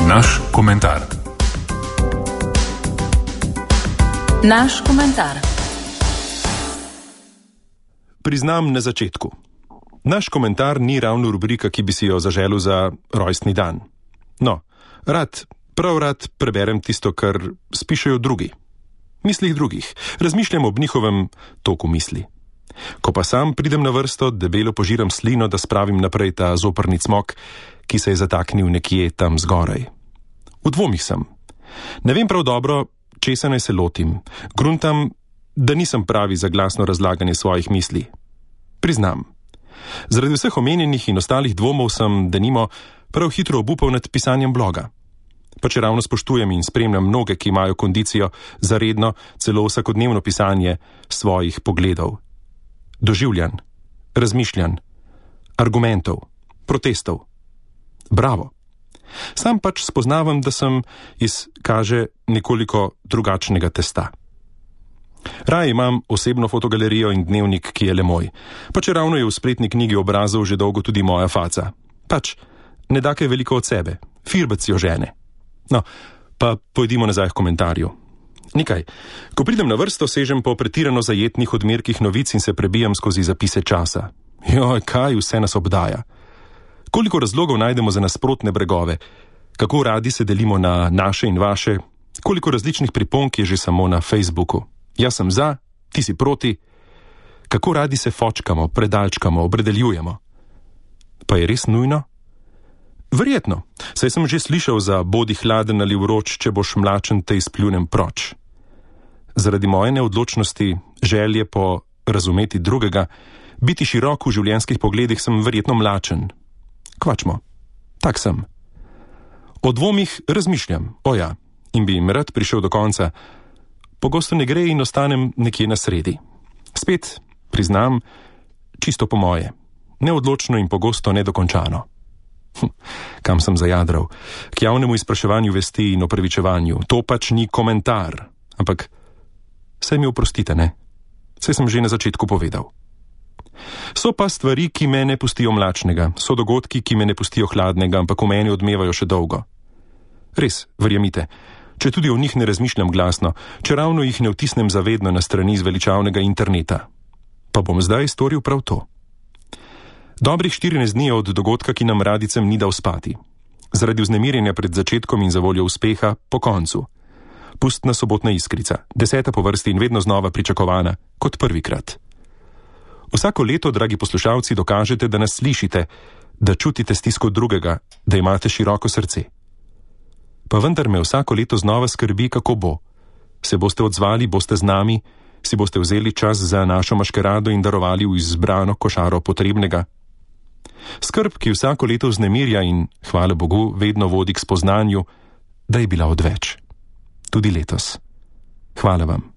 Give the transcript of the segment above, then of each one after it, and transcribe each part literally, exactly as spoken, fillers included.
Naš komentar. Naš komentar. Priznam na začetku. Naš komentar ni ravno rubrika, ki bi si jo zaželel za rojstni dan. No, rad, prav rad preberem tisto, kar spišejo drugi. Mislih drugih. Razmišljam ob njihovem toku misli. Ko pa sam pridem na vrsto, debelo požiram slino, da spravim naprej ta zoprni cmok, ki se je zataknil nekje tam zgoraj. V dvomih sem. Ne vem prav dobro, česa naj se lotim. Gruntam, da nisem pravi za glasno razlaganje svojih misli. Priznam. Zaradi vseh omenjenih in ostalih dvomov sem, denimo, prav hitro obupal nad pisanjem bloga. Pa če ravno spoštujem in spremljam mnoge, ki imajo kondicijo za redno, celo vsakodnevno pisanje svojih pogledov. Doživljanj, razmišljanj, argumentov, protestov. Bravo. Sam pač spoznavam, da sem iz, kaže, nekoliko drugačnega testa. Raje imam osebno fotogalerijo in dnevnik, ki je le moj. Pa če ravno je v spletni knjigi obrazov že dolgo tudi moja faca. Pač, ne da kaj veliko od sebe. Firbec jo žene. No, pa pojdimo nazaj k komentarju. Nikaj, ko pridem na vrsto, sežem po pretirano zajetnih odmerkih novic in se prebijam skozi zapise časa. Joj, kaj vse nas obdaja. Koliko razlogov najdemo za nasprotne bregove, kako radi se delimo na naše in vaše, koliko različnih priponk je že samo na Facebooku. Jaz sem za, ti si proti. Kako radi se fočkamo, predalčkamo, opredeljujemo. Pa je res nujno? Verjetno, saj sem že slišal za bodi hladen ali vroč, če boš mlačen, te izpljunem proč. Zaradi moje neodločnosti, želje po razumeti drugega, biti širok v življenjskih pogledih sem verjetno mlačen. Kvačmo, tak sem. O dvomih razmišljam, oja, in bi jim rad prišel do konca. Pogosto ne gre in ostanem nekje na sredi. Spet, priznam, čisto po moje. Neodločno in pogosto nedokončano. Hm, kam sem zajadral? K javnemu izpraševanju vesti in opravičevanju. To pač ni komentar. Ampak, saj mi oprostite, ne? Saj sem že na začetku povedal. So pa stvari, ki me ne pustijo mlačnega. So dogodki, ki me ne pustijo hladnega, ampak v meni odmevajo še dolgo. Res, verjemite, če tudi o njih ne razmišljam glasno, če ravno jih ne vtisnem zavedno na strani zveličavnega interneta. Pa bom zdaj storil prav to. Dobrih štirinajst dni od dogodka, ki nam radicem ni dal spati. Zaradi vznemirjenja pred začetkom in zavoljo uspeha po koncu. Pustna sobotna iskrica, deseta po vrsti in vedno znova pričakovana, kot prvikrat. Vsako leto, dragi poslušalci, dokažete, da nas slišite, da čutite stisko drugega, da imate široko srce. Pa vendar me vsako leto znova skrbi, kako bo. Se boste odzvali, boste z nami, si boste vzeli čas za našo maškerado in darovali v izbrano košaro potrebnega. Skrb, ki vsako leto vznemirja in, hvala Bogu, vedno vodi k spoznanju, da je bila odveč. Tudi letos. Hvala vam.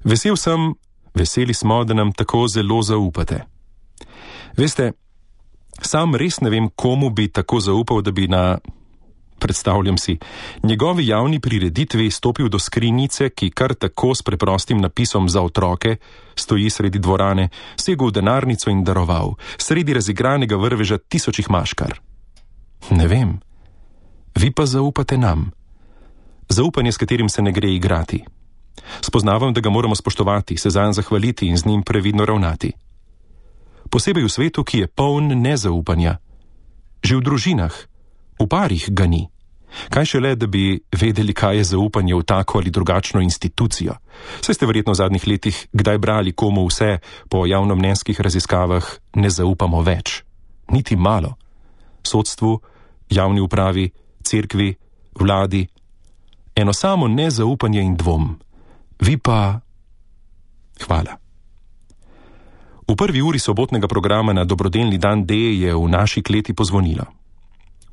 Vesel sem, veseli smo, da nam tako zelo zaupate. Veste, sam res ne vem, komu bi tako zaupal, da bi na, predstavljam si, njegovi javni prireditvi stopil do skrinjice, ki kar tako s preprostim napisom za otroke stoji sredi dvorane, segel v denarnico in daroval, sredi razigranega vrveža tisočih maškar. Ne vem. Vi pa zaupate nam. Zaupanje, s katerim se ne gre igrati. Spoznavam, da ga moramo spoštovati, se zanj zahvaliti in z njim previdno ravnati. Posebej v svetu, ki je poln nezaupanja. Že v družinah, v parih ga ni. Kaj šele, da bi vedeli, kaj je zaupanje v tako ali drugačno institucijo. Saj ste verjetno v zadnjih letih kdaj brali, komu vse po javnomnenjskih raziskavah ne zaupamo več. Niti malo. Sodstvu, javni upravi, cerkvi, vladi. Eno samo nezaupanje in dvom. Vi pa... Hvala. V prvi uri sobotnega programa na dobrodelni dan D je v naši kleti pozvonilo.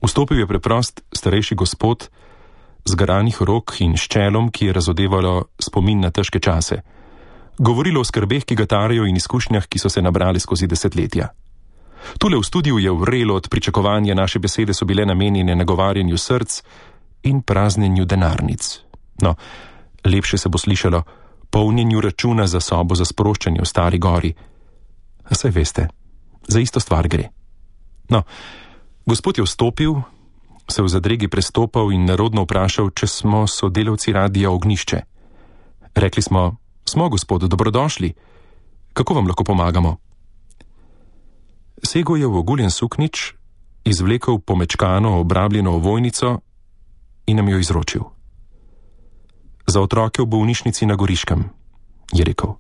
Vstopil je preprost starejši gospod z garanih rok in ščelom, ki je razodevalo spomin na težke čase. Govorilo o skrbeh, ki ga tarejo in izkušnjah, ki so se nabrali skozi desetletja. Tule v studiu je vrelo od pričakovanja, naše besede so bile namenjene nagovarjanju src in praznjenju denarnic. No, lepše se bo slišalo polnjenju računa za sobo za sproščanje v Stari gori. A saj veste, za isto stvar gre. No, gospod je vstopil, se v zadregi prestopal in nerodno vprašal, če smo sodelavci Radia Ognjišče. Rekli smo: Smo, gospod, dobrodošli. Kako vam lahko pomagamo? Segel je v oguljen suknič, izvlekel pomečkano, obrabljeno ovojnico in nam jo izročil. Za otroke v bolnišnici na Goriškem, je rekel.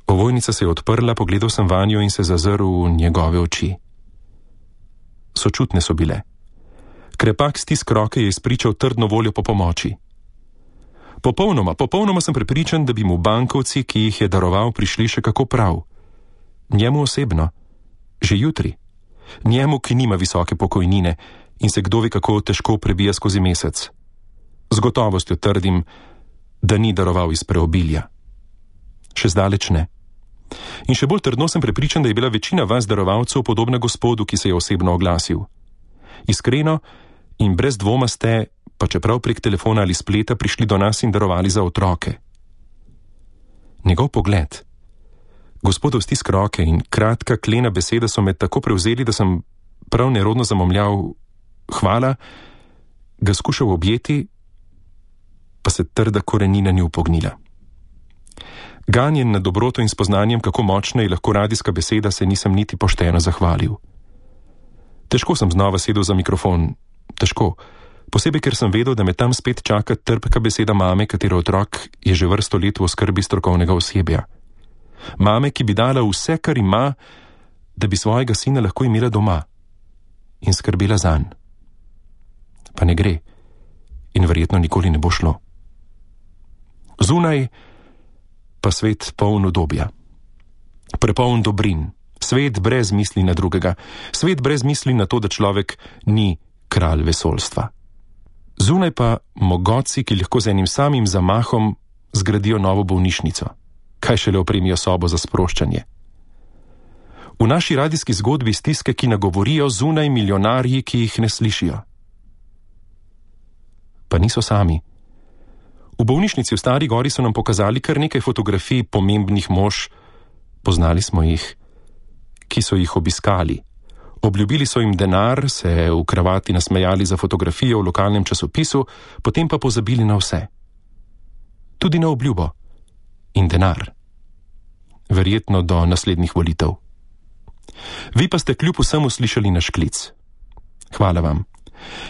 Ovojnica se je odprla, pogledal sem vanjo in se zazrl v njegove oči. Sočutne so bile. Krepak stisk roke je izpričal trdno voljo po pomoči. Popolnoma, popolnoma sem prepričan, da bi mu bankovci, ki jih je daroval, prišli še kako prav. Njemu osebno. Že jutri. Njemu, ki nima visoke pokojnine in se kdo ve kako težko prebija skozi mesec. Z gotovostjo trdim, da ni daroval iz preobilja. Še zdaleč ne. In še bolj trdno sem prepričan, da je bila večina vas darovalcev podobna gospodu, ki se je osebno oglasil. Iskreno in brez dvoma ste, pa čeprav prek telefona ali spleta, prišli do nas in darovali za otroke. Njegov pogled, gospodov stisk roke in kratka klena beseda so me tako prevzeli, da sem prav nerodno zamomljal hvala, ga skušal objeti, pa se trda korenina ni upognila. Ganjen nad dobroto in spoznanjem, kako močna je lahko radijska beseda, se nisem niti pošteno zahvalil. Težko sem znova sedel za mikrofon, težko, posebej ker sem vedel, da me tam spet čaka trpka beseda mame, katero otrok je že vrsto let v oskrbi strokovnega osebja. Mame, ki bi dala vse, kar ima, da bi svojega sina lahko imela doma in skrbela zanj. Pa ne gre in verjetno nikoli ne bo šlo. Zunaj pa svet poln udobja, prepoln dobrin, svet brez misli na drugega, svet brez misli na to, da človek ni kralj vesoljstva. Zunaj pa mogoci, ki lahko z enim samim zamahom zgradijo novo bolnišnico, kaj šele opremijo sobo za sproščanje. V naši radijski zgodbi stiske, ki nagovorijo, zunaj milijonarji, ki jih ne slišijo. Pa niso sami. V bolnišnici v Stari Gori so nam pokazali kar nekaj fotografij pomembnih mož, poznali smo jih, ki so jih obiskali. Obljubili so jim denar, se v kravati nasmejali za fotografijo v lokalnem časopisu, potem pa pozabili na vse. Tudi na obljubo in denar. Verjetno do naslednjih volitev. Vi pa ste kljub vsemu slišali naš klic. Hvala vam.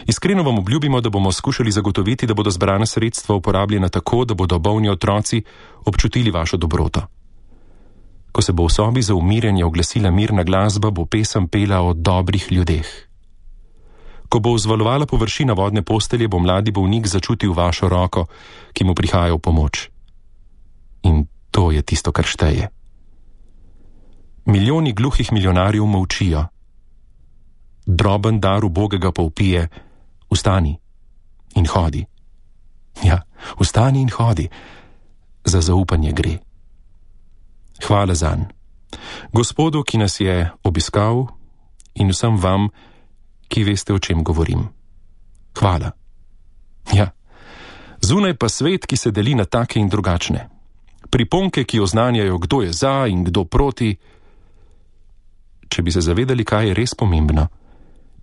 Iskreno vam obljubimo, da bomo skušali zagotoviti, da bodo zbrana sredstva uporabljena tako, da bodo bolni otroci občutili vašo dobroto. Ko se bo v sobi za umirjanje oglasila mirna glasba, bo pesem pela o dobrih ljudeh. Ko bo vzvalovala površina vodne postelje, bo mladi bolnik začutil vašo roko, ki mu prihaja v pomoč. In to je tisto, kar šteje. Milijoni gluhih milijonarjev molčijo. Droben dar ubogega pa vpije: vstani in hodi. Ja, vstani in hodi. Za zaupanje gre. Hvala zanj. Gospodu, ki nas je obiskal, in vsem vam, ki veste, o čem govorim. Hvala. Ja, zunaj pa svet, ki se deli na take in drugačne. Priponke, ki oznanjajo, kdo je za in kdo proti. Če bi se zavedali, kaj je res pomembno,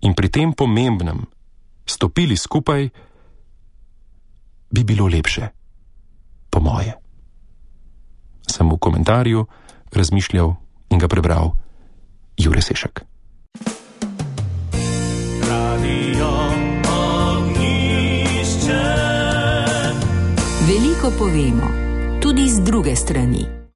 in pri tem pomembnem stopili skupaj, bi bilo lepše, po moje. Sem v komentarju razmišljal in ga prebral Jure Sešek. Radio Ognjišče. Veliko povemo, tudi z druge strani.